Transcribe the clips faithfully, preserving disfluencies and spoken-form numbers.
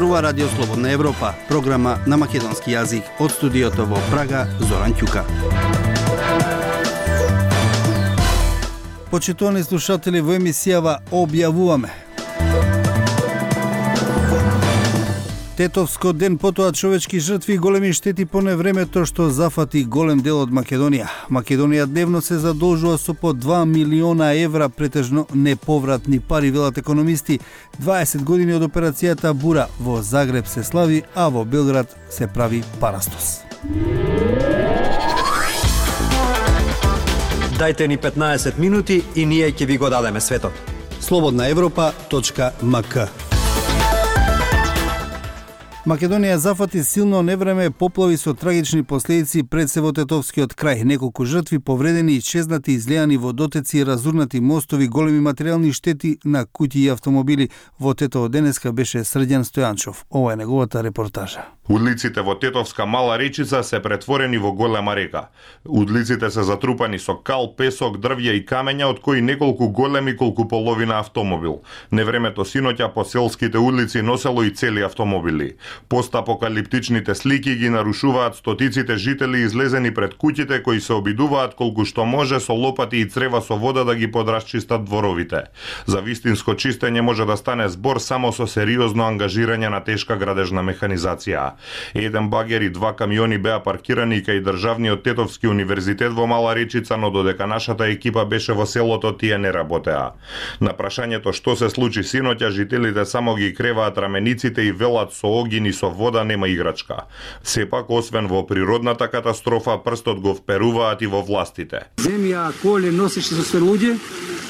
зборува Радио Слободна Европа, програма на македонски јазик. Од студиото во Прага, Зоран Ќука. Почитувани слушатели, во емисијава објавуваме: Тетовско ден, потоа човечки жртви и големи штети по невремето што зафати голем дел од Македонија. Македонија дневно се задолжува со по два милиона евра, претежно неповратни пари, велат економисти. дваесет години од операцијата Бура во Загреб се слави, а во Белград се прави парастос. Дајте ни петнаесет минути и ние ќе ви го дадеме светот. слободна европа точка ем ка. Македонија зафати силно невреме, поплави со трагични последици пред се во Тетовскиот крај. Неколку жртви, повредени, исчезнати, излеани водотеци, разурнати мостови, големи материјални штети на куќи и автомобили. Во Тетово денеска беше Срđan Стојанчов. Ова е неговата репортажа. Удлиците во Тетовска мала речица се претворени во голема река. Удлиците се затрупани со кал, песок, дрвја и камења, од кои неколку големи колку половина автомобил. Невремето синоќа по селските улици носело и цели автомобили. Постапокалиптичните слики ги нарушуваат стотиците жители излезени пред куќите, кои се обидуваат колку што може со лопати и црева со вода да ги подрасчистат дворовите. За вистинско чистење може да стане збор само со сериозно ангажирање на тешка градежна механизација. Еден багер и два камиони беа паркирани кај државниот Тетовски универзитет во Мала Речица, но додека нашата екипа беше во селото, тие не работеа. На прашањето што се случи синоќа, жителите само ги креваат рамениците и велат со огин и со вода нема играчка. Сепак, освен во природната катастрофа, прстот го вперуваат и во властите. Земја, коле носеше со све луѓе,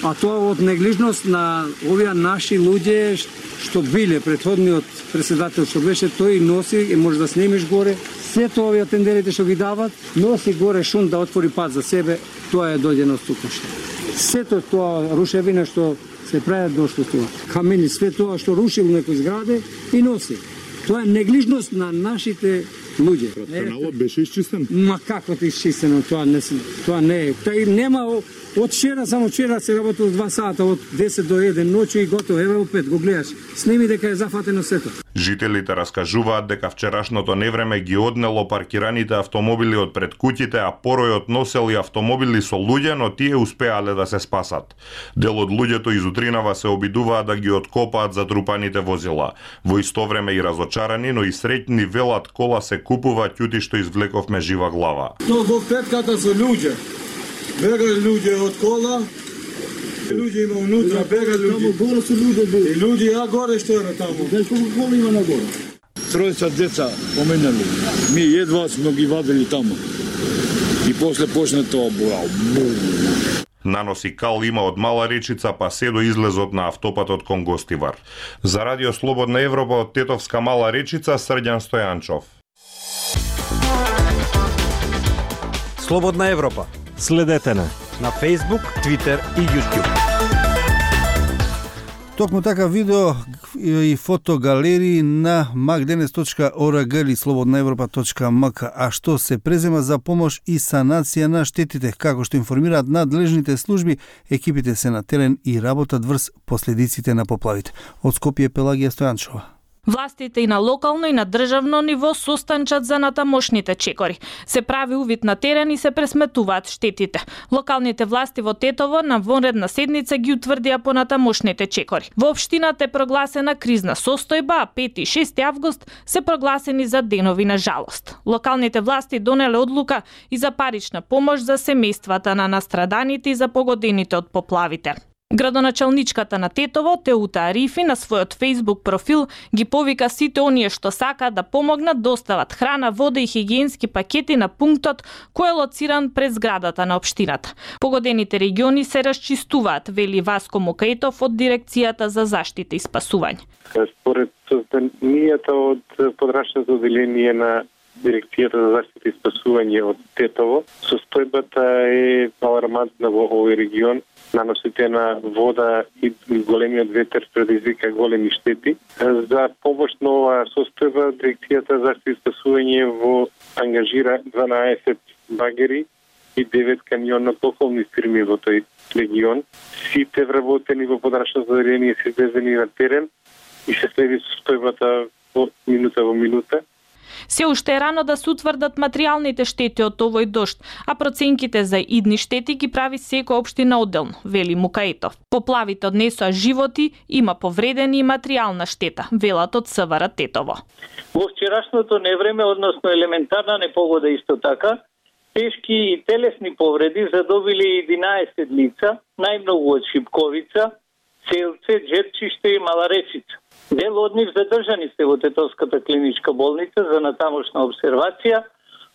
а тоа од неглижност на овие наши луѓе што биле претходниот председател што беше, тој носи и може да снемиш горе. Сето овие тендерите што ги дават, носи горе шум да отвори пат за себе, тоа е дојдено стукнеште. Сето тоа рушевина што се прави дошло тоа. Камени, све тоа што рушило некој зграде и носи. Тоа е неглижност на нашите луѓе. Каналот беше исчистен? Ма како ти исчистено, тоа не тоа не е. Тај нема од вчера, само вчера се работи од два сата, од десет до еден ноќу и готово. Еве опет го гледаш. Сними дека е зафатено сето. Жителите раскажуваат дека вчерашното невреме ги однело паркираните автомобили од пред куќите, а поројот носел и автомобили со луѓе, но тие успеале да се спасат. Дел од луѓето изутринава се обидуваат да ги откопаат затрупаните возила. Во исто време и разочарани, но и среќни велат, кола се купува, ќути што извлековме жива глава. Но во петката со луѓе. Бега луѓе од кола. Луѓе има унутра, бега луѓе. Горе се луѓе бега. И луѓе а горе што е таму. Колку кола има на горе? Тројца деца поменали. Ми едва сме ги вадили таму. И после почна тоа бурал. Наноси кал има од Мала Речица па се до излезот на автопатот кон Гостивар. За Радио Слободна Европа од Тетовска Мала Речица, Срđan Стојанчов. Слободна Европа. Следете на на Facebook, Twitter и YouTube. Токму така видео и фотогалерии на макденес точка орг или слободна европа точка ем ка, а што се презема за помош и санација на штетите. Како што информираат надлежните служби, екипите се на терен и работат врз последиците на поплавите. Од Скопје, Пелагија Стојанчова. Властите и на локално и на државно ниво состанчат за натамошните чекори. Се прави увид на терен и се пресметуваат штетите. Локалните власти во Тетово на вонредна седница ги утврдија по натамошните чекори. Во општината е прогласена кризна состојба, а пети и шести август се прогласени за денови на жалост. Локалните власти донеле одлука и за парична помош за семејствата на настраданите и за погодените од поплавите. Градоначалничката на Тетово, Теута Арифи, на својот Facebook профил ги повика сите оние што сакаат да помогнат да остават храна, вода и хигиенски пакети на пунктот кој е лоциран пред зградата на општината. Погодените региони се расчистуваат, вели Васко Мукаетов од Дирекцијата за заштита и спасување. Според состојанието од подрачното одделение на Дирекцијата за заштита и спасување од Тетово, состојбата е алармантна во овој регион. Наносите на вода и големиот ветер предизвика големи штети. За помош на оваа состојба, Дирекцијата за заштита и спасување во ангажира дванаесет багери и девет камионно-пополни фирми во тој регион. Сите вработени во подрачното одделение се извезени на терен и се следи состојбата во минута во минута. Се уште е рано да се утврдат материјалните штети од овој дожд, а проценките за идни штети ги прави секоја општина одделно, вели Мукаетов. Поплавите однесоа животи, има повредени и материјална штета, велат од СВР Тетово. Во вчерашното невреме, односно елементарна непогода исто така, тешки и телесни повреди задобили единаесет лица, најмногу од Шипковица, Целце, Джерчиште и Мала Речица. Дел од нив задржани се во Тетовската клиничка болница за натамошна обсервација,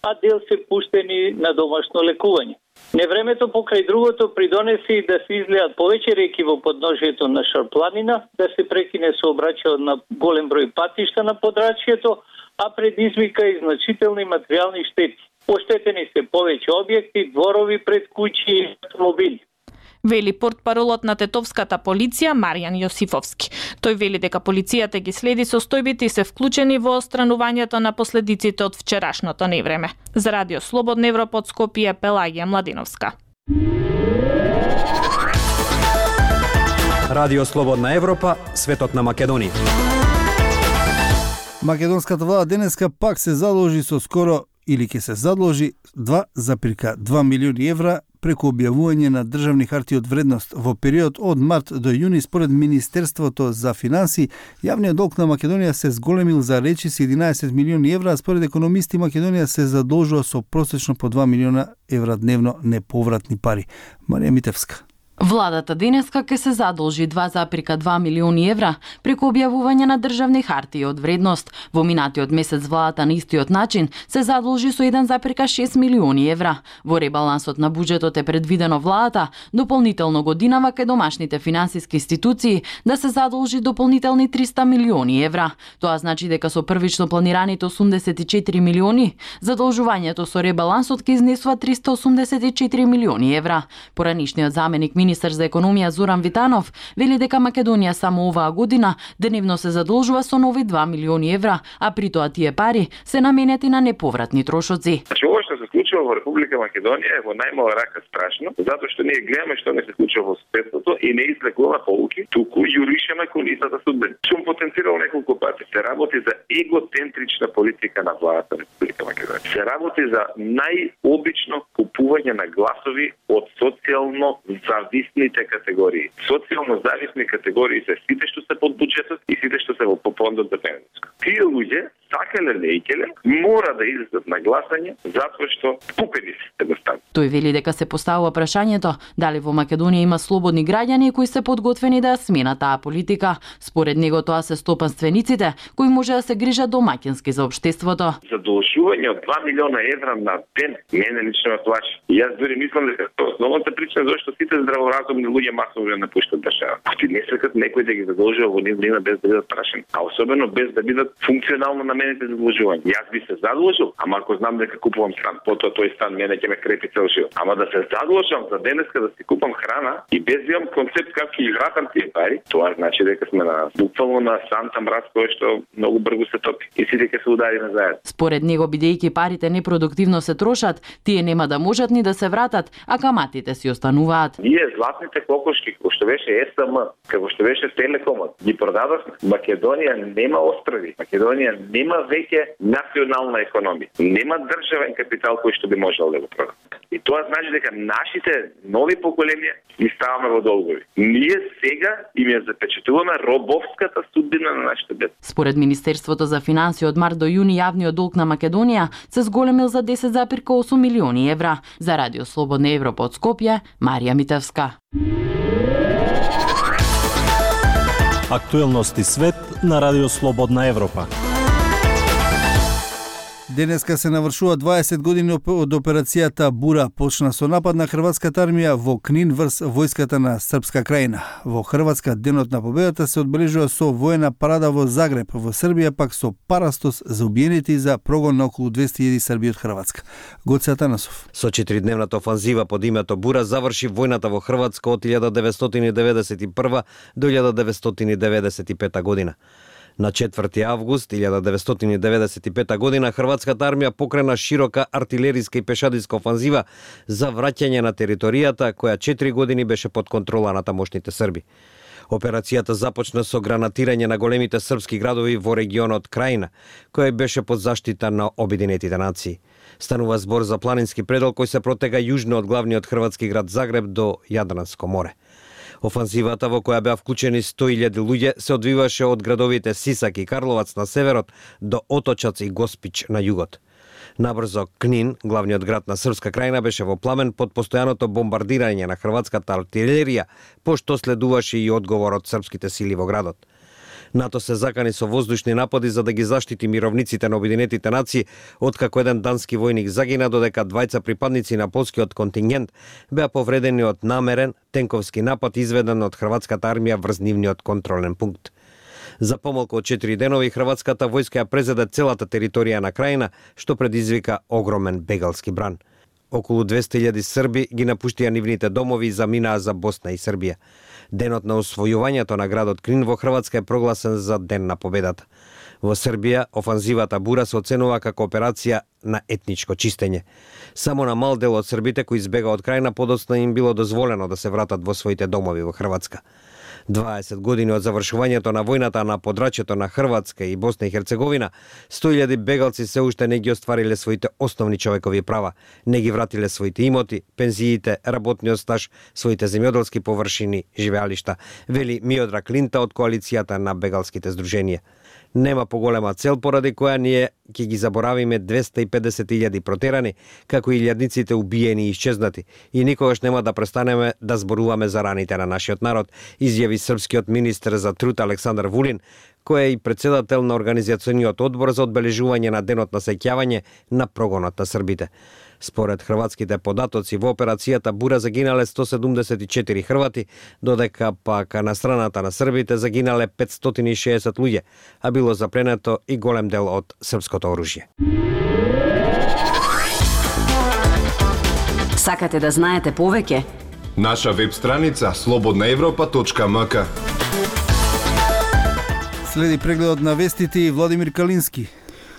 а дел се пуштени на домашно лекување. Невремето покрај другото придонесе и да се излеат повеќе реки во подножието на Шарпланина, да се прекине сообраќајот на голем број патишта на подрачјето, а предизвика и значителни материјални штети. Оштетени се повеќе објекти, дворови пред куќи и автомобили. Вели портпаролот на Тетовската полиција Маријан Јосифовски. Тој вели дека полицијата ги следи состојбите и се вклучени во отстранувањето на последиците од вчерашното невреме. За Радио Слободна Европа од Скопје, Пелагија Младиновска. Радио Слободна Европа, светот на Македонија. Македонската влада денеска пак се задолжи со скоро или ќе се задолжи два запирка два милиони евра преку објавување на државни харти од вредност во период од март до јуни. Според Министерството за финансии, јавниот долг на Македонија се зголемил за речиси единаесет милиони евра, а според економисти Македонија се задолжува со просечно по два милиона евра дневно неповратни пари. Марија Митевска. Владата денеска ќе се задолжи два запирка два милиони евра преку објавување на државни хартии од вредност. Во минатиот месец владата на истиот начин се задолжи со еден запирка шест милиони евра. Во ребалансот на буџетот е предвидено владата дополнително годинава кај домашните финансиски институции да се задолжи дополнителни триста милиони евра. Тоа значи дека со првично планираните осумдесет и четири милиони, задолжувањето со ребалансот ќе изнесува триста осумдесет и четири милиони евра. Поранишниот заменик Министер за економија Зоран Витанов вели дека Македонија само оваа година деневно се задолжува со нови два милиони евра, а при тоа тие пари се наменети на неповратни трошоци. Значи, ова што се случува во Република Македонија е во најмала рака страшно, затоа што ние гледаме што не се случува во светото и не извлекува полуки, туку јуришеме кон истата судбина. Сум потенцирал неколку пати. Се работи за егоцентрична политика на владата на Република Македонија. Се работи за најобично купување на гласови од социјално зависните категории. Социјално зависни категории се сите што се под буџетот и сите што се во фондот за пензијско. Тие луѓе, сакале лејкеле, мора да излезат на гласање затоа што купени се едноставно. Тој вели дека се поставува прашањето дали во Македонија има слободни граѓани кои се подготвени да ја сменат таа политика. Според него тоа се стопанствениците кои може да се грижат домаќински за општеството. Задолжување од два милиона евра на ден мене лично ме плаши. Јас дури мислам дека основната причина зашто сите здраворазумни луѓе масово напуштат држава. Ти не сакат некој да ги задолжува во нивна без да бидат прашани, а особено без да бидат функционално наменети задолжувања. Јас би се задолжил, ама ако знам дека купувам стан, потоа тој стан мене ќе ме крепи цел живот. Ама да се задолжам за денеска да си купам храна и без да имам концепт како ќе ги вратам тие пари, тоа значи дека сме на буквално на санта мраз кој што многу брзо се топи и сите ќе се удари назад. Според него, бидејќи парите непродуктивно се трошат, тие нема да можат ни да се вратат, а каматите си остануваат. Ние златните кокошки, како што беше Ес Ем, како што беше Телекомот, ги продадовме. Македонија нема острови. Македонија нема веќе национална економија. Нема државен капитал кој што би можел да го продаде. И тоа значи дека нашите нови поколенија ги ставаме во долгови. Ние сега им ја запечатуваме робовската судбина на нашите деца. Според Министерството за финансии од март до јуни јавниот долг на Македонија се зголемил за десет запирка осум милиони евра. За Радио Слободна Европа од Скопје, Марија Митевска. Актуелности свет на Радио Слободна Европа. Денеска се навршува дваесет години од операцијата Бура, почна со напад на хрватската армија во Книн врз војската на Српска крајина. Во Хрватска денот на победата се одбележува со воена парада во Загреб, во Србија пак со парастос за убиените и за прогон на околу двесте илјади Срби од Хрватска. Гоце Атанасов. Со четиридневната офанзива под името Бура заврши војната во Хрватска од илјада деветстотини деветдесет и прва до илјада деветстотини деветдесет и пета година. На четврти август илјада деветстотини деветдесет и пета година хрватската армија покрена широка артилериска и пешадиска офанзива за враќање на територијата која четири години беше под контрола на тамошните срби. Операцијата започна со гранатирање на големите српски градови во регионот Крајина, кој беше под заштита на Обединетите нации. Станува збор за планински предел кој се протега јужно од главниот хрватски град Загреб до Јадранско море. Офанзивата во која беа вклучени сто илјади луѓе се одвиваше од градовите Сисак и Карловац на северот до Оточац и Госпич на југот. Набрзо Книн, главниот град на Српска крајна, беше во пламен под постојаното бомбардирање на хрватската артилерија, пошто следуваше и одговор од српските сили во градот. НАТО се закани со воздушни напади за да ги заштити мировниците на Обединетите нации, откако еден дански војник загина, додека двајца припадници на полскиот контингент беа повредени од намерен тенковски напад изведен од хрватската армија врз нивниот контролен пункт. За помалку од четири денови хрватската војска ја презеде целата територија на крајна, што предизвика огромен бегалски бран. Околу двесте илјади срби ги напуштија нивните домови и заминаа за Босна и Србија. Денот на освојувањето на градот Крин во Хрватска е прогласен за Ден на победата. Во Србија, офанзивата Бура се оценува како операција на етничко чистење. Само на мал дел од србите кои избега од крајна подоцна им било дозволено да се вратат во своите домови во Хрватска. дваесет години од завршувањето на војната на подрачјето на Хрватска и Босна и Херцеговина, сто илјади бегалци се уште не ги оствариле своите основни човекови права, не ги вратиле своите имоти, пензиите, работниот стаж, своите земјоделски површини, живеалишта, вели Миодраг Линта од коалицијата на бегалските здруженија. Нема поголема цел поради која ние ќе ги заборавиме двесте и педесет илјади протерани, како и илјадниците убиени и исчезнати, и никогаш нема да престанеме да зборуваме за раните на нашиот народ, изјави српскиот министер за труд Александар Вулин, кој е и председател на Организациониот одбор за одбележување на денот на сеќавање на прогонот на србите. Според хрватските податоци, во операцијата Бура загинале сто седумдесет и четири хрвати, додека пак на страната на србите загинале петстотини и шеесет луѓе, а било запленето и голем дел од српското оружје. Сакате да знаете повеќе? Наша веб страница слободна европа точка ем ка. Следи прегледот на вестите и Владимир Калински.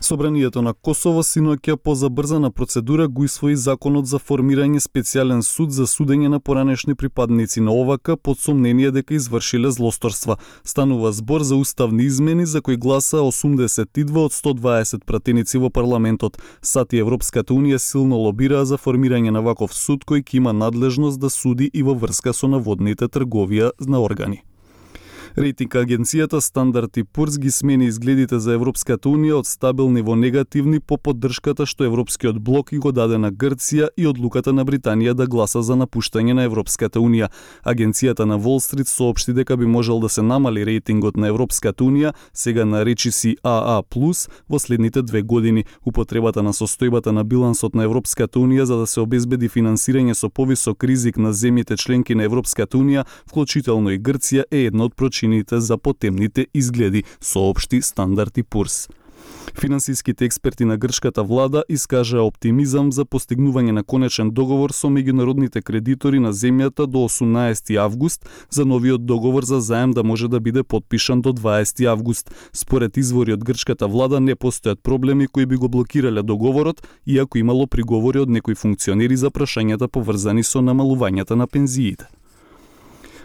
Собранието на Косово синоќа по забрзана процедура го усвои законот за формирање специјален суд за судење на поранешни припадници на О В К под сомнение дека извршиле злосторства. Станува збор за уставни измени за кои гласа осумдесет и два од сто дваесет пратеници во парламентот. САД и Европската унија силно лобираа за формирање на ваков суд кој ќе има надлежност да суди и во врска со наводните трговија на органи. Рейтинг агенцијата Стандард и Пурс ги смени изгледите за Европската унија од стабилни во негативни по поддршката што Европскиот блок и го даде на Грција и одлуката на Британија да гласа за напуштање на Европската унија. Агенцијата на Wall Street соопшти дека би можел да се намали рейтингот на Европската унија, сега наречи си А А плюс, во следните две години. Употребата на состојбата на билансот на Европската унија за да се обезбеди финансирање со повисок ризик на земјите членки на Европската унија, вклучително и Грција, е едно од причините за потемните изгледи, соопшти Стандард и Пурс. Финансиските експерти на грчката влада искажаа оптимизам за постигнување на конечен договор со меѓународните кредитори на земјата до осумнаесети август, за новиот договор за заем да може да биде потпишан до дваесети август. Според извори од грчката влада не постојат проблеми кои би го блокирале договорот, иако имало приговори од некои функционери за прашањата поврзани со намалувањата на пензиите.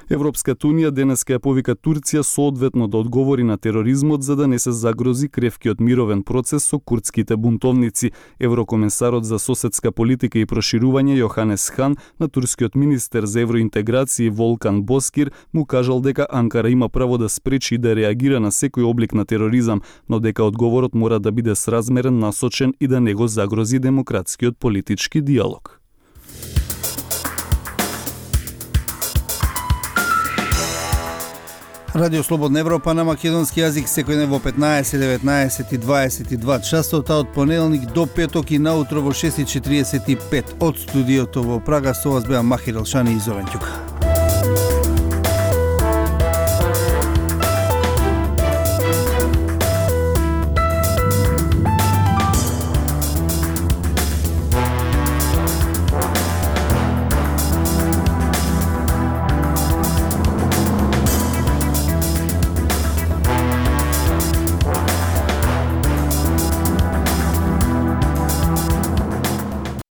Европската унија денеска ја повика Турција соодветно да одговори на тероризмот за да не се загрози кревкиот мировен процес со курдските бунтовници. Еврокомесарот за соседска политика и проширување Јоханес Хан на турскиот министер за евроинтеграција Волкан Боскир му кажал дека Анкара има право да спречи и да реагира на секој облик на тероризам, но дека одговорот мора да биде сразмерен, насочен и да не го загрози демократскиот политички диалог. Радио Слободна Европа на македонски јазик секој ден во петнаесет, деветнаесет и дваесет и два часот, а од понеделник до петок и наутро во шест и четириесет и пет од студиото во Прага. Со вас беа Махир Елшани и Зовен Ќука.